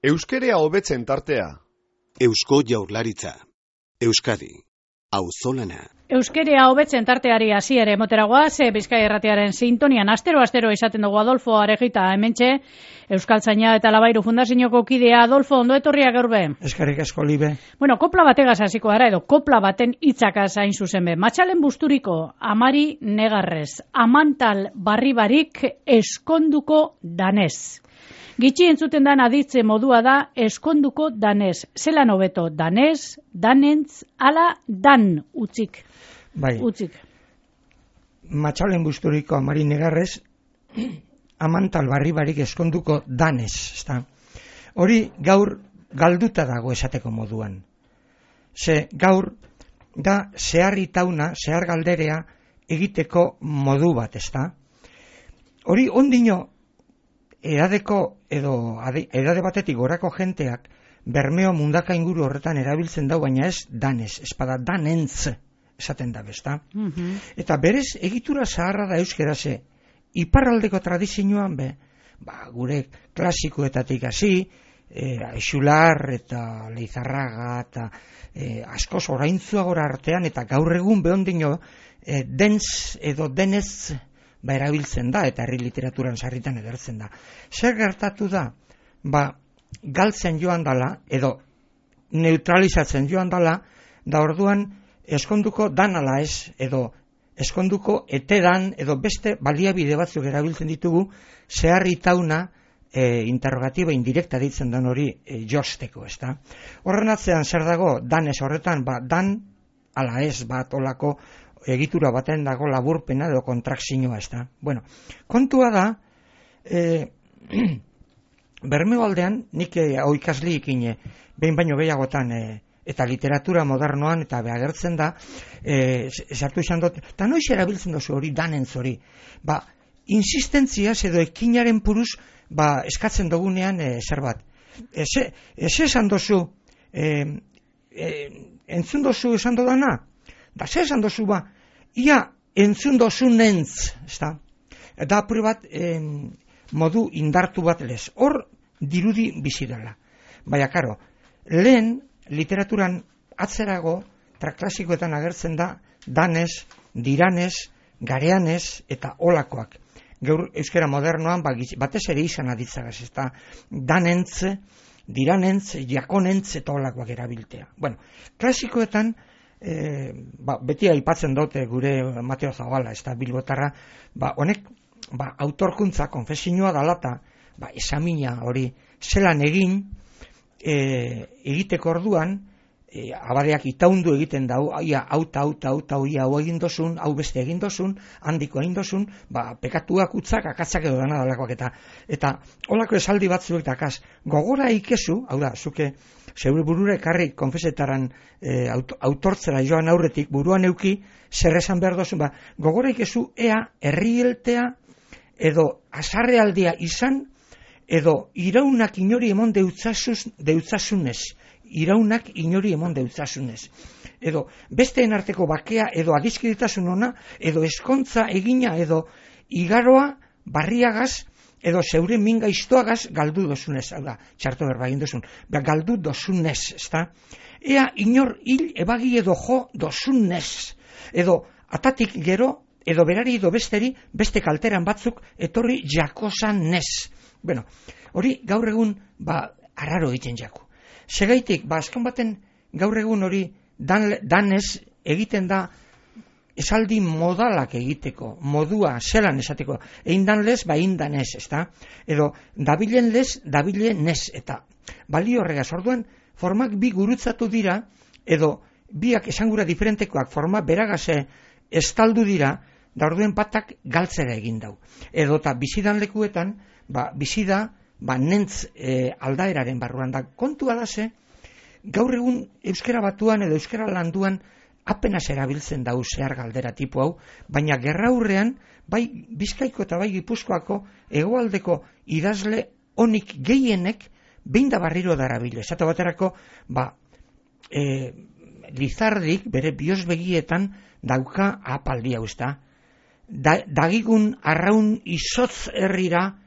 Euskerea hobetzen tartea. Eusko Jaurlaritza. Euskadi. Auzolana. Euskerea hobetzen tarteari hasiera emoteragoa, Bizkaia Irratiaren sintonian astero izaten dugu Adolfo Arejita hementxe, Euskaltzaina eta Labairu Fundazioko kidea. Adolfo, ondo etorria gaur be? Eskerrik asko, Libe. Bueno, kopla bategaz hasiko gara edo kopla baten hitzakaz hain zuzen be. Matxalen busturiko Amari Negarrez, amantal barribarik eskonduko danez. Gitxi entzuten dan aditze modua da eskonduko danez. Zelan hobeto, danez, danentz, ala dan utzik. Bai. Utzik. Matxalen busturiko Amari Negarrez, amantal barribarik eskonduko danez, ezta? Hori gaur galduta dago esateko moduan. Ze gaur da zeharritauna, zehar galderea egiteko modu bat, ezta? Hori ondino edadeko edo edade batetik gorako jenteak Bermeo mundaka inguru horretan erabiltzen dau, baina ez danez, espada danentz esaten da, ezta? Eta berez egitura zaharra da euskeraze, iparraldeko tradizioan be, gure klasikoetatik hasi, Aixular eta Leizarraga eta askoz oraintzuagora artean, eta gaur egun behondino dentz edo denez erabiltzen da, eta herri literaturan sarritan edertzen da. Zer gertatu da? Galtzen joan dala, edo neutralizatzen joan dala, da orduan eskonduko dan ala ez, edo eskonduko etedan, edo beste baliabide batzuk erabiltzen ditugu, zeharritauna interrogatiba indirekta ditzen den hori josteko, ezta? Horren atzean zer dago, danez horretan, dan ala ez bat olako egitura baten dago laburpena edo kontrakzioa, ezta? Bueno, kontua da, Bermeo aldean, nik oikasliikin behin baino gehiagotan eta literatura modernoan eta behagertzen da, sartu izan dut, eta noiz erabiltzen dozu hori danentz hori. Insistentziaz edo ekinaren puruz eskatzen dugunean zer bat. Esan dozu, entzun dozu esan dodana? Da ze esan dozu ia entzun dozu nentz, ezta? Eta apur bat modu indartu bat lez. Hor dirudi bizi dela. Baina, karo, lehen literaturan atzerago, klasikoetan agertzen da, danez, diranez, gareanez eta olakoak. Gaur euskera modernoan batez ere izan aditzagaz, ezta danentz, diranentz, jakonentz eta olakoak erabiltea. Bueno, klasikoetan beti aipatzen dute gure Mateo Zabala, ez da bilbotarra, honek autorkuntza, konfesioa dalata, esamina hori zelan egin egiteko orduan, abadeak itaundu egiten dau, ia hau egin dozun, hau beste egin dozun, handiko egin dozun, pekatuak utzak, akatzak edo dana dalakoak eta holako esaldi batzuek dakaz, gogora ikezu, hau da, zuke zeure burura ekarri konfesetaran autortzera joan aurretik, buruan euki, zer esan behar dozun, gogora ikezu ea herrieltea edo azarrealdia izan, edo iraunak inori emon deutzasunez, iraunak inori emon deutzasunez. Edo besteen arteko bakea, edo adizkiditasun ona, edo eskontza egina, edo igaroa barriagaz, edo zeure minga iztoagaz galdu dozunez, hau da, txarto berba egin dozun, galdu dozunez, ezta? Ea inor hil ebagi edo jo dozunez, edo atatik gero, edo berari edo besteri, beste kalteran batzuk etorri jakosan nez. Bueno, hori gaur egun, arraro egiten jako. Segaitik, azken baten gaur egun hori danez egiten da esaldi modalak egiteko, modua, zelan esateko, egin dan lez, egin danez, ezta? Edo, dabilen lez, dabilen nez, eta balio horregaz, orduan, formak bi gurutzatu dira, edo biak esangura diferentekoak forma beragaze estaldu dira, da orduen batak galtzera egin dau. Edo eta bizidan lekuetan, bizida, nentz aldaeraren barruan da. Kontua da ze, gaur egun euskera batuan edo euskera landuan apenas erabiltzen dau zehar galdera tipu hau, baina gerraurrean, bai Bizkaiko eta bai Gipuzkoako hegoaldeko idazle onik gehienek behin da barriro darabile. Esate baterako, Lizardik bere biosbegietan dauka apaldi hau, ezta? Dagigun arraun izotz herrira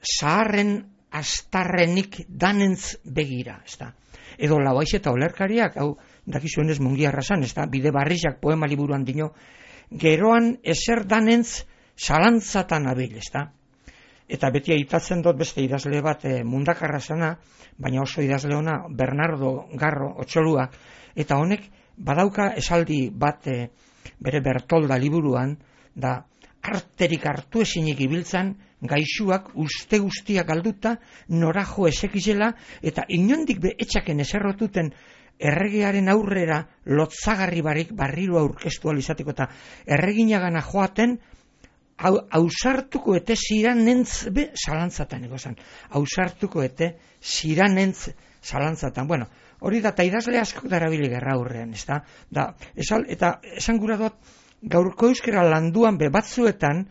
zaharren astarrenik danentz begira, ezta. Edo Lauaiz eta Olerkariak, hau dakizuenez Mungiarra zan, ezta, bide barrizak poema liburuan dino, geroan ezer danentz zalantzatan abil, ezta. Eta beti aitatzen dut beste idazle bat Mundakarra zana, baina oso idazle ona Bernardo Garro Otxolua, eta honek badauka esaldi bat bere Bertolda liburuan, da arterik hartu ezinik ibiltzan, gaixuak uste guztiak galduta, norajo esekizela, eta inondik etxaken eserrotuten erregearen aurrera lotzagarri barik barriro aurkeztu alizateko, eta erreginagana joaten, hausartuko ete ziranentz be zalantzatan egozan. Hausartuko ete ziranentz zalantzatan. Bueno, hori da, eta idazle asko darabili gerra aurrean, ez da? Eta esan gura dut, gaurko euskera landuan be batzuetan,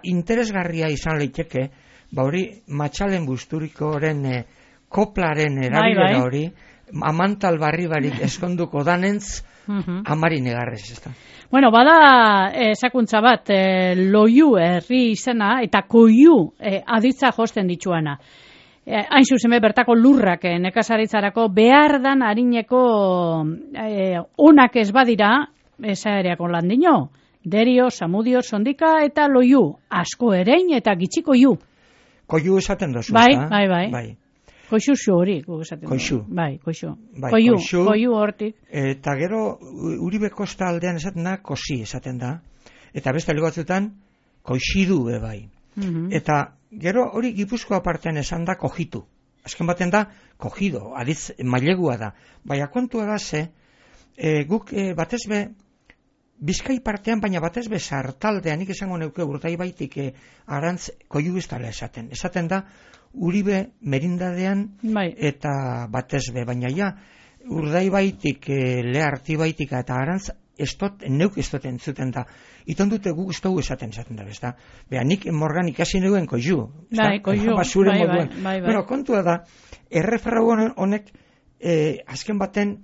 interesgarria izan leiteke, hori Matxalen Busturikoren koplaren erabilera hori, Amantal barri barik eskonduko danentz, Amari Negarrez, ez da? Bueno, bada esakuntza bat, loiu herri izena eta koiu aditza josten dituana. Hain zuzen bertako lurrak nekazaritzarako behar dan harineko onak ez badira, esaereako landino, derio, samudio, sondika eta loiu, asko erein eta gitxiko iu. Koiu esaten dozu, bai. Koixu hori, esaten du. Koixu. Bai, koixu. Bai, koiu hortik. Eta gero, Uribe Kosta aldean esaten da, kosi esaten da. Eta beste batzutan, koixidu bai. Eta gero hori Gipuzkoa partean esan da, kojitu. Azken baten da, kojido, aditz mailegua da. Baina kontua da ze, guk batezbe, Bizkai partean, baina batezbe sartaldean, nik esango neuke Urdaibaitik arantz koiu ez dala esaten. Esaten da, Uribe merindadean eta batezbe, baina ja, Urdaibaitik, Lehartibaitik eta arantz, neuk ez dut entzuten da. Iton dute guk ez dugu esaten da, bezta. Beha, nik morgan ikasi neuen koiu. Koiu, bai. Bueno, kontua da, errefrau honek, azken baten,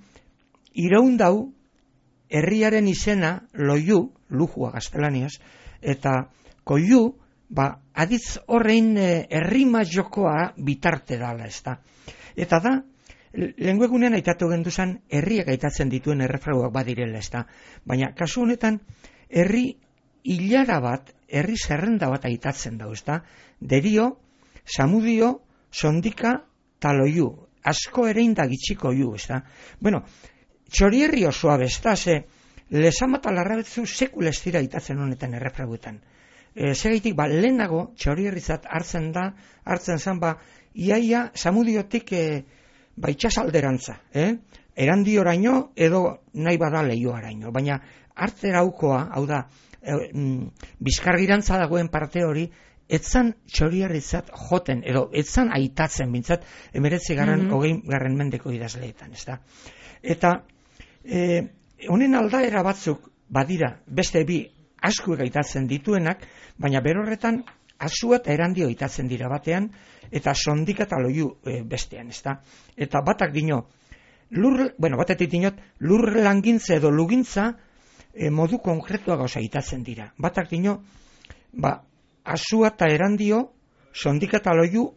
iraundau, herriaren izena loiu, lujua gaztelaniaz, eta koiu, aditz horrein errima jokoa bitarte dala, ez da. Eta da, lenguegunean aitatu genduzan, herriak aitatzen dituen errefrauak badirela, ez da. Baina, kasu honetan, herri hilara bat, herri zerrenda bat aitatzen dau, ez da. Derio, samudio, sondika, taloiu. Asko erein da gitxiko iu, ez da. Bueno, txorierri osoa besta, ze lesama eta larrabetzu sekula ez dira itatzen honetan errefrauetan. Segaitik, lehenago txorierrizat hartzen zan, iaia samudiotik itxasalderantza, erandioraino edo nahi bada lehioaraino. Baina hartzeraukoa, hau da, bizkargirantza dagoen parte hori, etzan txorierrizat joten, edo etzan aitatzen bintzat, 19. Mendeko idazleetan, ez da. Eta honen aldaera batzuk badira beste bi askuek aitatzen dituenak, baina berorretan asua eta erandio aitatzen dira batean, eta sondika eta loiu bestean, ezta? Eta batak dino, batetik dinot, lur langintza edo lugintza modu konkretua gauza aitatzen dira. Batak dino, asua eta erandio, sondika eta loiu,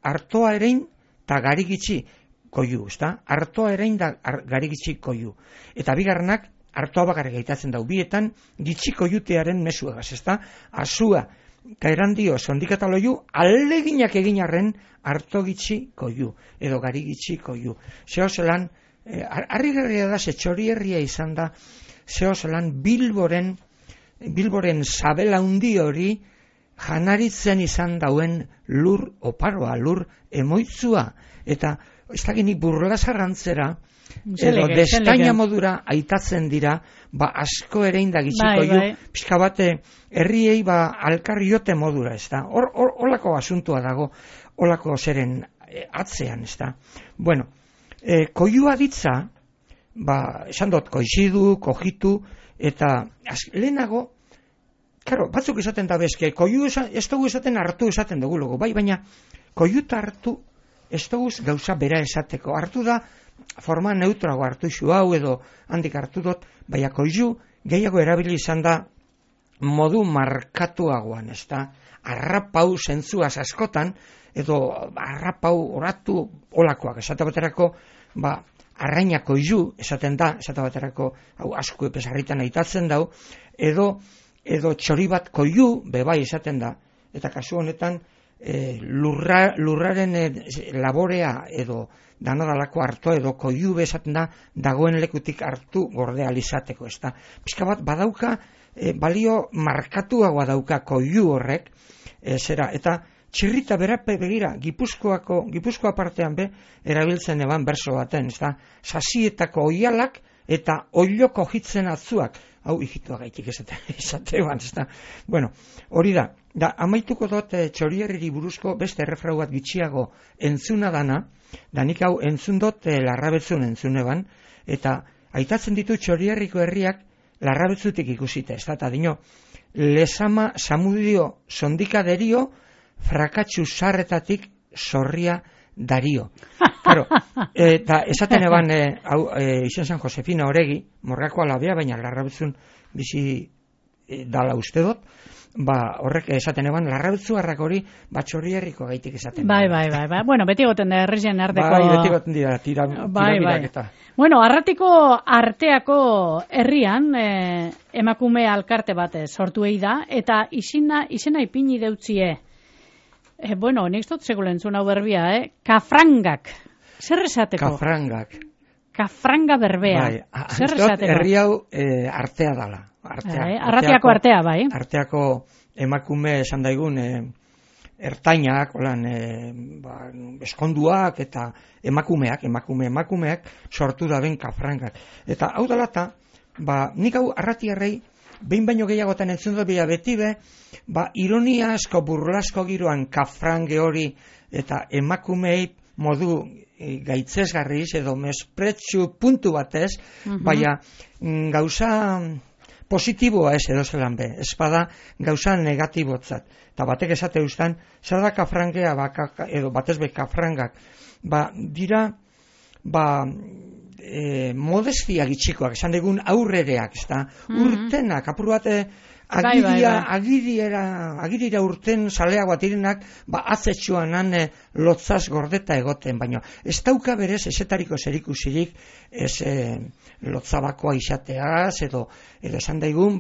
artoa erein eta garigitxi koiu, ezta? Artoa erein da garigitxi koiu. Eta bigarrenak, artoa bakarrik aitatzen dau, bietan gitxiko jutearen mesuagaz, ezta? Asua eta erandio sondika eta loiu, aleginak egin arren arto gitxi koiu, edo gari gitxi koiu. Zeo zelan, harri gerria da, zetxori herria izan da, zeo zelan Bilboren zabela hundi hori janaritzen izan dauen lur oparoa, lur emoitzua, eta ez da gini burlasarrantzera, edo destaina modura aitatzen dira, asko erein da gitxiko ju, pixka bate herriei alkarriote modura, ez da. Olako asuntua dago, olako zeren atzean, ez da. Bueno, koiua ditza, esan dut, koizidu, kojitu, eta lehenago, claro, batzuk esaten da bezke, koiu ez dugu esaten hartu esaten dugu logo, baina koiuta hartu ez dugu gauza bera esateko. Hartu da, forma neutrago hartu isu hau edo handik hartu dut, baina koiu gehiago erabili izan da modu markatuagoan, ez da, arrapau zentzuaz askotan, edo arrapau oratu olakoak, esate baterako, arrainako izu, esaten da, esate baterako, hau asko epesarritan aitatzen dau, edo txori bat koiu, bebai esaten da, eta kasu honetan, lurraren laborea edo danodalako hartu edo koiu esaten da dagoen lekutik hartu gordea izateko, ez da. Pizka bat badauka, balio markatuagoa dauka koiu horrek, zera, eta txirrita berape begira, Gipuzkoa partean erabiltzen eban berso baten, ez da, sasietako oialak eta oiloko hitzen atzuak, hau ikitua gaitik esatean, ez da. Bueno, hori da, amaituko dut Txorierriri buruzko beste errefrau bat gitxiago entzuna dana, da nik hau entzun dut Larrabetzun entzun eban, eta aitatzen ditu Txorierriko herriak Larrabetzutik ikusita, ez da, eta dino, lesama samudio sondika derio, frakatxu sarretatik zorria dario. Claro, eta esaten eban, izen San Josefina Oregi, Morgako alabea, baina Larrabetzun bizi dala uste dut, horrek esaten eban, Larrabetzuarrak hori Txorierriko gaitik esaten. Bai. Bueno, beti goten da herrien arteko. Bai, beti goten dira, tirabiraketa. Bueno, Arratiko arteako herrian emakume alkarte bat sortu da, eta izena ipini deutzie. Bueno, nik dut segula entzun hau berbia, kafrangak. Zer esateko? Kafranga berbea. Bai, zer esateko? Herri hau artea dala. Arratiako artea, bai. Arteako emakume esan daigun ertainak, eskonduak eta emakumeak sortu da ben kafrangak. Eta hau dalata, nik hau arratiarrei behin baino gehiagotan entzun dut beti ironia asko, burlasko giroan kafrange hori eta emakumei modu gaitzesgarriz edo mespretsu puntu batez, baina gauza positiboa ez edo zelan be, ez bada gauza negatibotzat. Eta batek esate ustan, zer da kafrangea edo batez be kafrangak, dira modestia gitxikoak, esan dugun aurrereak, urtenak, apur bat agirira urten saleago atirenak, atzetxuan lotzaz gordeta egoten, baina ez dauka berez esetariko zerikusirik lotzabakoa izateaz, edo esan daigun,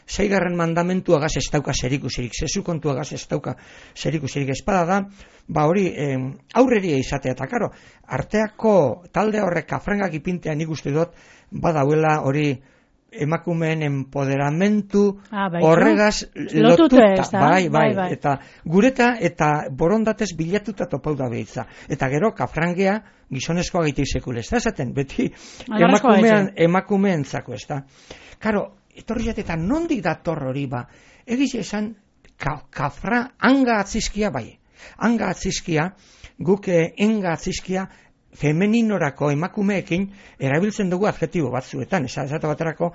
6. mandamentuagaz ez dauka zerikusirik, zezu kontuagaz ez dauka zerikusirik, espada da, hori aurreria izatea, eta karo, arteako talde horrek kafrangak ipintea nik uste dut, badauela hori emakumeen empoderamentu horregaz lotuta, bai, eta gureta eta borondatez bilatuta topau da behitza. Eta gero, kafrangea gizonezkoa gaitik sekule, ez da esaten, beti emakumeentzako, ez da. Karo, etorri eta nondik dator hori egiz esan, kafra anga atzizkia, anga atzizkia, guk enga atzizkia, femeninorako emakumeekin erabiltzen dugu adjetibo batzuetan, esate baterako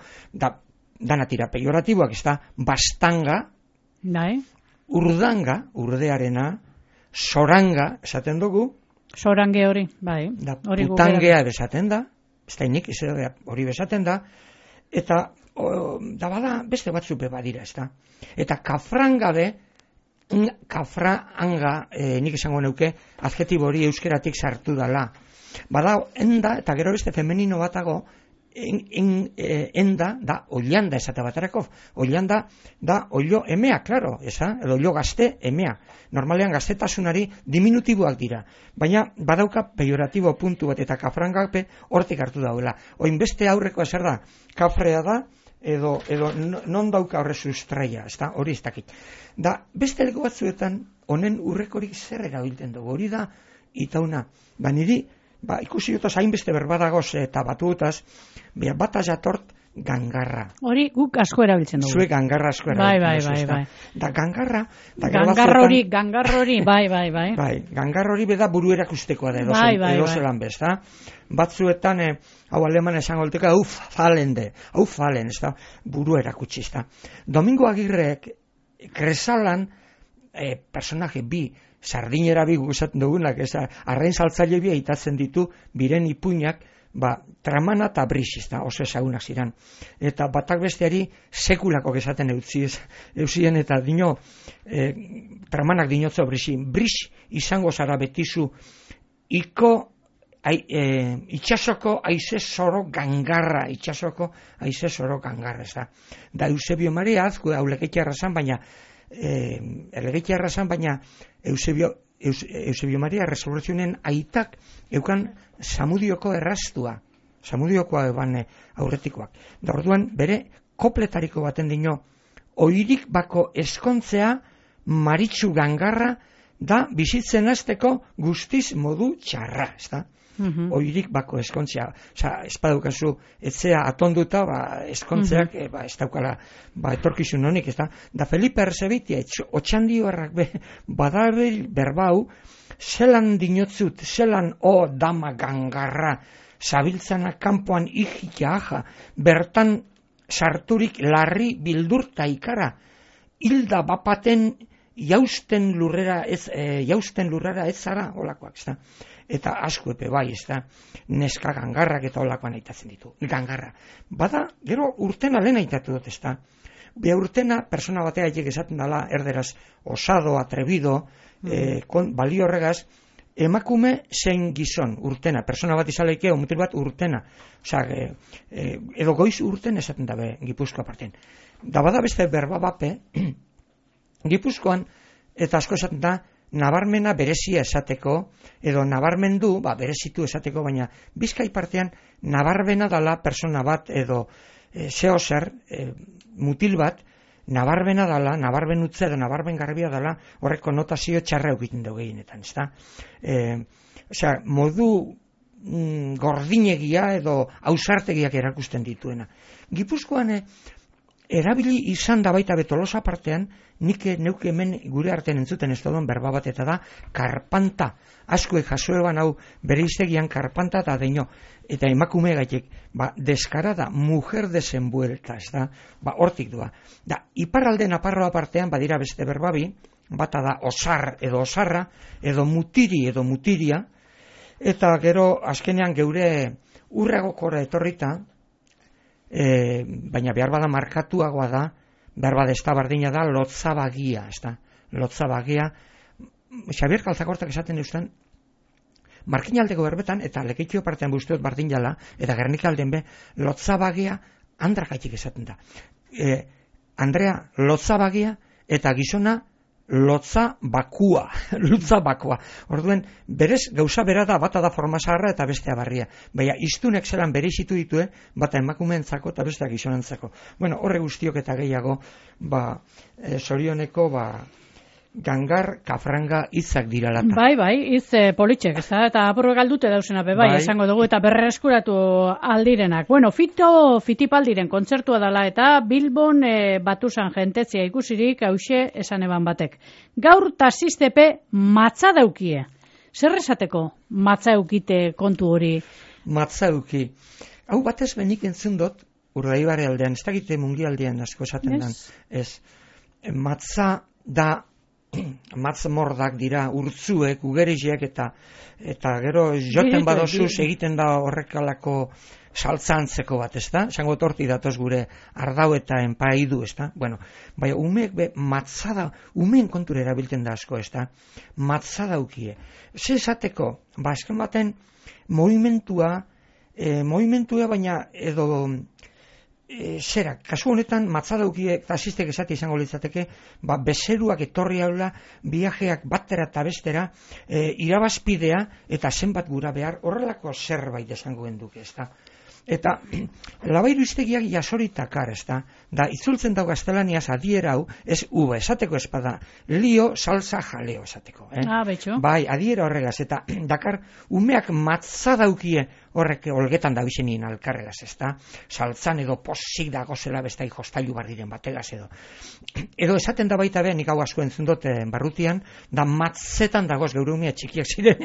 danatira pejoratiboak, ez da, bastanga, urdanga, urdearena, soranga, esaten dugu, sorange hori, bai. Putangea esaten da, ez da inik, hori besaten da, eta bada beste batzuk badira, ez da. Eta kafranga kafranga, nik esango neuke, adjetibo hori euskeratik sartu dala. Bada, enda, eta gero beste femenino batago, enda, da, oilanda esate baterako. Oilanda, da, oilo emea, klaro, edo oilo gazte emea. Normalean gaztetasunari diminutiboak dira. Baina, badauka pejoratibo puntu bat, eta kafrangape hortik hartu dauela. Oin beste aurreko ezer da, kafrea da, edo non dauka horre sustraia, hori ez dakit. Da, beste leku batzuetan, honen urrekorik zer erabiltzen dugu, hori da, itauna, niri, ikusi dutaz hainbeste berbadagoz eta batutaz, bat jatort gangarra. Hori guk asko erabiltzen dugu. Zue gangarra asko erabiltzen. Bai. Da gangarra... Gangarra hori, bai. Bai, gangarra hori beda buru erakustekoa da edo zelan bez, da? Batzuetan, hau aleman esango olteka, falen, ez da, buru erakutsi, ez da. Domingo Agirrek, Kresalan, personaje bi, sardinera bi guzatzen dugunak, arrain saltzaile bi aitatzen ditu, biren ipuinak, Tramana eta Brix, oso ezagunak ziren. Eta batak besteari sekulako esaten eusien eta dino, Tramanak dinotzo Brix izango zara betizu itxasoko aize zoro gangarra, ez da. Da Eusebio Maria azku aulegetiarra zan, baina Eusebio Maria Resurrezionen aitak eukan Samudioko Samudiokoa eban aurretikoak. Da orduan bere kopletariko baten dino, oirik bako eskontzea maritxu gangarra da bizitzen azteko guztiz modu txarra, ez da? Oirik bako eskontzea, espadukazu etzea atonduta, eskontzeak ez daukala etorkizun honik, ez da? Da Felipe Erzebitia, otxandio errak badabil berbau, zelan dinotzut, zelan dama gangarra, zabiltzana kanpoan ikitia aja, bertan sarturik larri bildurta ikara, hilda bapaten jausten lurrera ez zara olakoak, ez da? Eta asko epe bai, ez da, neska gangarrak eta olakoan aitatzen ditu, gangarra. Bada, gero urtena lehen aitatu dut, ez da. Be urtena, persona batea haiek esaten dela, erderaz, osado, atrebido, balio horregaz, emakume zein gizon, urtena, persona bat izaleike, mutil bat urtena. Osa, edo goiz urten esaten dabe, Gipuzkoa parten. Da bada beste berba bape, Gipuzkoan, eta asko esaten da, nabarmena berezia esateko, edo nabarmendu, berezitu esateko, baina Bizkai partean nabarbena dala persona bat, edo zeo zer, mutil bat, nabarbena dala, nabarben utze edo nabarben garbia dala, horreko notazio txarra egiten dugu gehienetan, ez da? Osea, modu gordinegia edo ausartegiak erakusten dituena. Gipuzkoan erabili izan da baita Tolosa partean, nik neuke hemen gure artean entzuten ez duen berba bat eta da karpanta. Askoek jasoeban hau bere iztegian karpanta eta deino. Eta emakume gaitek, deskarada, mujer desenvuelta, ez da, hortik doa. Da, iparralde Naparroa partean badira beste berbabi, bata da osar edo osarra, edo mutiri edo mutiria, eta gero azkenean geure urregokora etorrita, baina behar bada markatuagoa da, behar bada ez da bardina da, lotzabagia, ez da, lotzabagia, Xabier Kaltzakortak esaten eustan, markinaldeko berbetan, eta Lekeitio partean buzteot bardin jala, eta Gernikalden be, lotzabagia andrakaitik esaten da. Andrea, lotzabagia, eta gizona, lotza bakua. Orduen, berez, gauza bera da, bata da forma zaharra eta bestea barria. Baina, iztunek zelan bereizitu ditue, bata emakumeentzako eta bestea gizonentzako. Bueno, horre guztiok eta gehiago, zorioneko, gangar, kafranga hitzak dira lata. Bai, hitz politxek, ez da, eta apurre galdute dausena be, bai, esango dugu, eta berreskuratu aldirenak. Bueno, Fitipaldiren kontzertua dela, eta Bilbon Batuzan jentetzia ikusirik, hause esan eban batek. Gaur taxistepe matza daukie. Zer esateko matza eukite kontu hori? Matza euki. Hau batez benik entzun dut, Urdaibare aldean, ez dakite mungialdean asko esaten dan. Matza da matzmordak dira, urtzuek, ugeriziek eta gero joten badozuz egiten da horrekalako saltzantzeko bat, ez da? Esango torti datoz gure ardau eta enpaidu, ez da? Bueno, bai, umeek matzada, umeen kontura erabiltzen da asko, ez da? Matzada ukie. Ze esateko, esken baten, movimentua baina edo zerak, kasu honetan matzadaukiek taxistek esati izango litzateke, bezeruak etorri haula, viajeak batera eta bestera, irabazpidea eta zenbat gura behar, horrelako zerbait esango genduke, ez da. Eta labairu iztegiak jasoritakar, ez da. Da, itzultzen dago gaztelaniaz adiera hau, ez uba, esateko espada, lio, salsa, jaleo, esateko. Betxo. Bai, adiera horregaz, eta dakar, umeak matzadaukie horrek olgetan da bizenien alkarregaz, ez da. Saltzan edo posik dago zela bestai jostailu barriren bategaz edo. Edo esaten da baita behan, nik hau asko entzun dut barrutian, da matzetan dagoz, geure umeak txikiak ziren,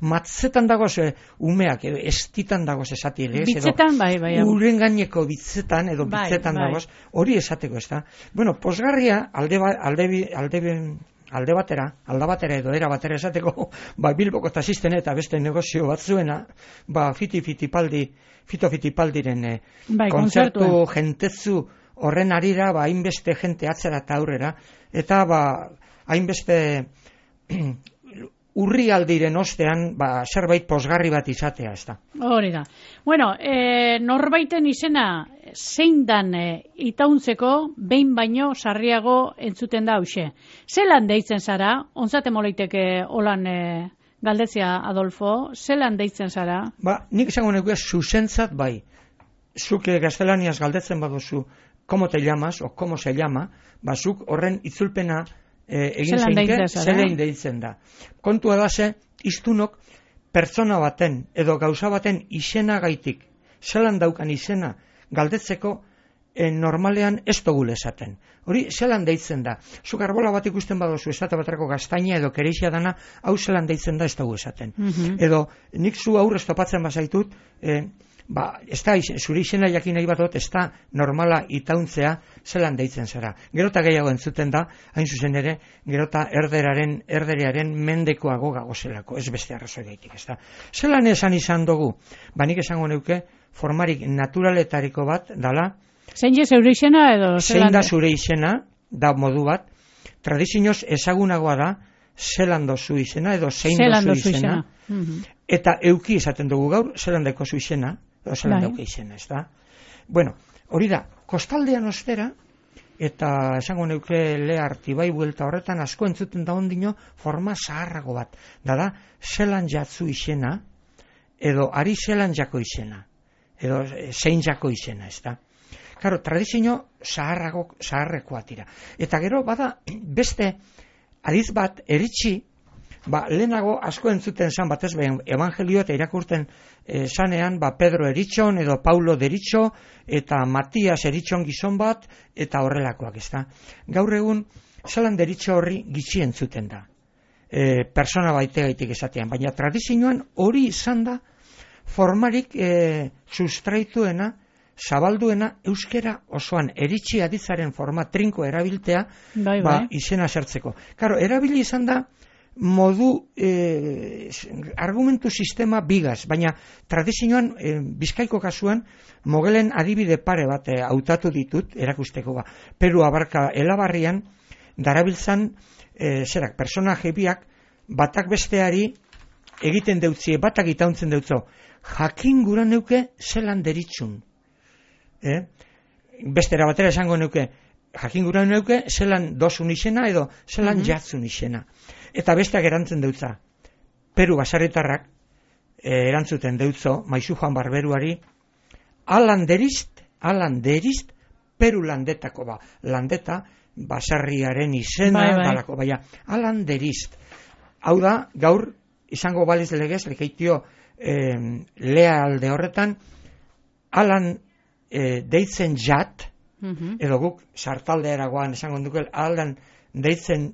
matzetan dagoz umeak, edo estitan dagoz esati, bitzetan, bai. Uren gaineko bitzetan, edo bitzetan dagoz, hori esateko, ez da. Bueno, posgarria, alde batera edo era batera esateko, Bilboko taxisten eta beste negozio batzuena, fitofitipaldiren kontzertu jentezu horren arira, hainbeste jente atzera eta aurrera, eta hainbeste urrialdiren ostean, zerbait posgarri bat izatea, ez da. Hori da. Bueno, norbaiten izena zein dan itauntzeko behin baino sarriago entzuten da hause. Zelan deitzen zara? Ontzate moleiteke holan galdetzea, Adolfo, zelan deitzen zara? Nik esango nuke zuzentzat bai. Zuk gaztelaniaz galdetzen baduzu, ¿cómo te llamas? O ¿cómo se llama? Zuk horren itzulpena egin zeinke, zelein deitzen da. Kontua da ze, iztunok pertsona baten edo gauza baten izena gaitik, zelan daukan izena galdetzeko normalean ez dugule esaten. Hori zelan deitzen da. Zuk arbola bat ikusten baduzu esate baterako gaztaina edo kereixia dana, hau zelan deitzen da ez dugu esaten. Edo nik zu aurrez topatzen bazaitut, ez da, zure izena jakin nahi bat ez da normala itauntzea zelan deitzen zara. Gerota gehiago entzuten da, hain zuzen ere, gerota erderearen mendekoago gagozelako, ez beste arrazoi gaitik, ez da. Zelan esan izan dugu, nik esango neuke, formarik naturaletariko bat, dala, zein je zure izena edo zein da zure izena, da modu bat, tradizioz ezagunagoa da, zelan dozu izena edo zein dozu izena, eta euki esaten dugu gaur, zelan daiko zu izena, edo zelan dauka izena, ez da. Bueno, hori da, kostaldean ostera, eta esango neuke leharti bai buelta horretan asko entzuten da ondino forma zaharrago bat. Da, zelan jatzu izena, edo ari zelan jako izena, edo zein jako izena, ez da. Karo, tradizio zaharrekoa tira. Eta gero, bada, beste adiz bat, eritxi, lehenago asko entzuten zan batez behin evangelio eta irakurten zanean Pedro eritxon edo Paulo deritxo eta Matias eritxon gizon bat eta horrelakoak, ez da. Gaur egun zelan deritxo horri gitxi entzuten da. Persona baitegaitik esatean, baina tradizioan hori izan da formarik sustraituena, zabalduena euskera osoan eritxi aditzaren forma trinko erabiltea izena zertzeko. Karo, erabili izan da modu argumentu sistema bigaz, baina tradizioan Bizkaiko kasuan mogelen adibide pare bat hautatu ditut erakusteko Peru Abarka Elabarrian darabiltzan personaje biak batak besteari egiten deutzie, batak itauntzen deutzo, jakin gura neuke zelan deritxun. Bestera batera esango neuke, jakin gura neuke zelan dozun izena edo zelan jatzun izena. Eta besteak erantzen deutza. Peru basarritarrak erantzuten deutzo, Maizu Juan Barberuari, alan derizt, Peru landetako landeta, basarriaren izena, dalako, alan derizt. Hau da, gaur, izango baliz legez, lekeitio lea alde horretan, alan deitzen jat, edo guk sartalde eragoan esango dukel, alan deitzen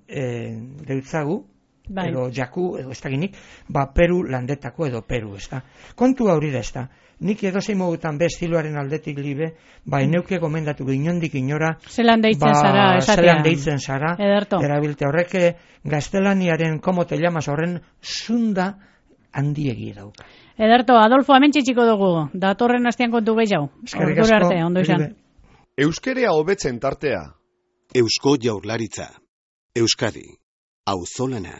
deutzagu, edo jaku, edo ez dakinik, Peru landetako edo Peru, ez da. Kontua hori da, ez da. Nik edo zein modutan be estiloaren aldetik libe, eneuke gomendatu inondik inora, zelan deitzen zara, esatea. Zelan deitzen zara, Ederto. erabilte horrek gaztelaniaren como te llamas horren zunda handiegi dauk. Ederto, Adolfo, hemen txitsiko dugu, datorren astean kontu gehiago. Eskerrik asko. Arte, ondo izan. Euskerea hobetzen tartea. Eusko Jaurlaritza. Euskadi. Auzolana.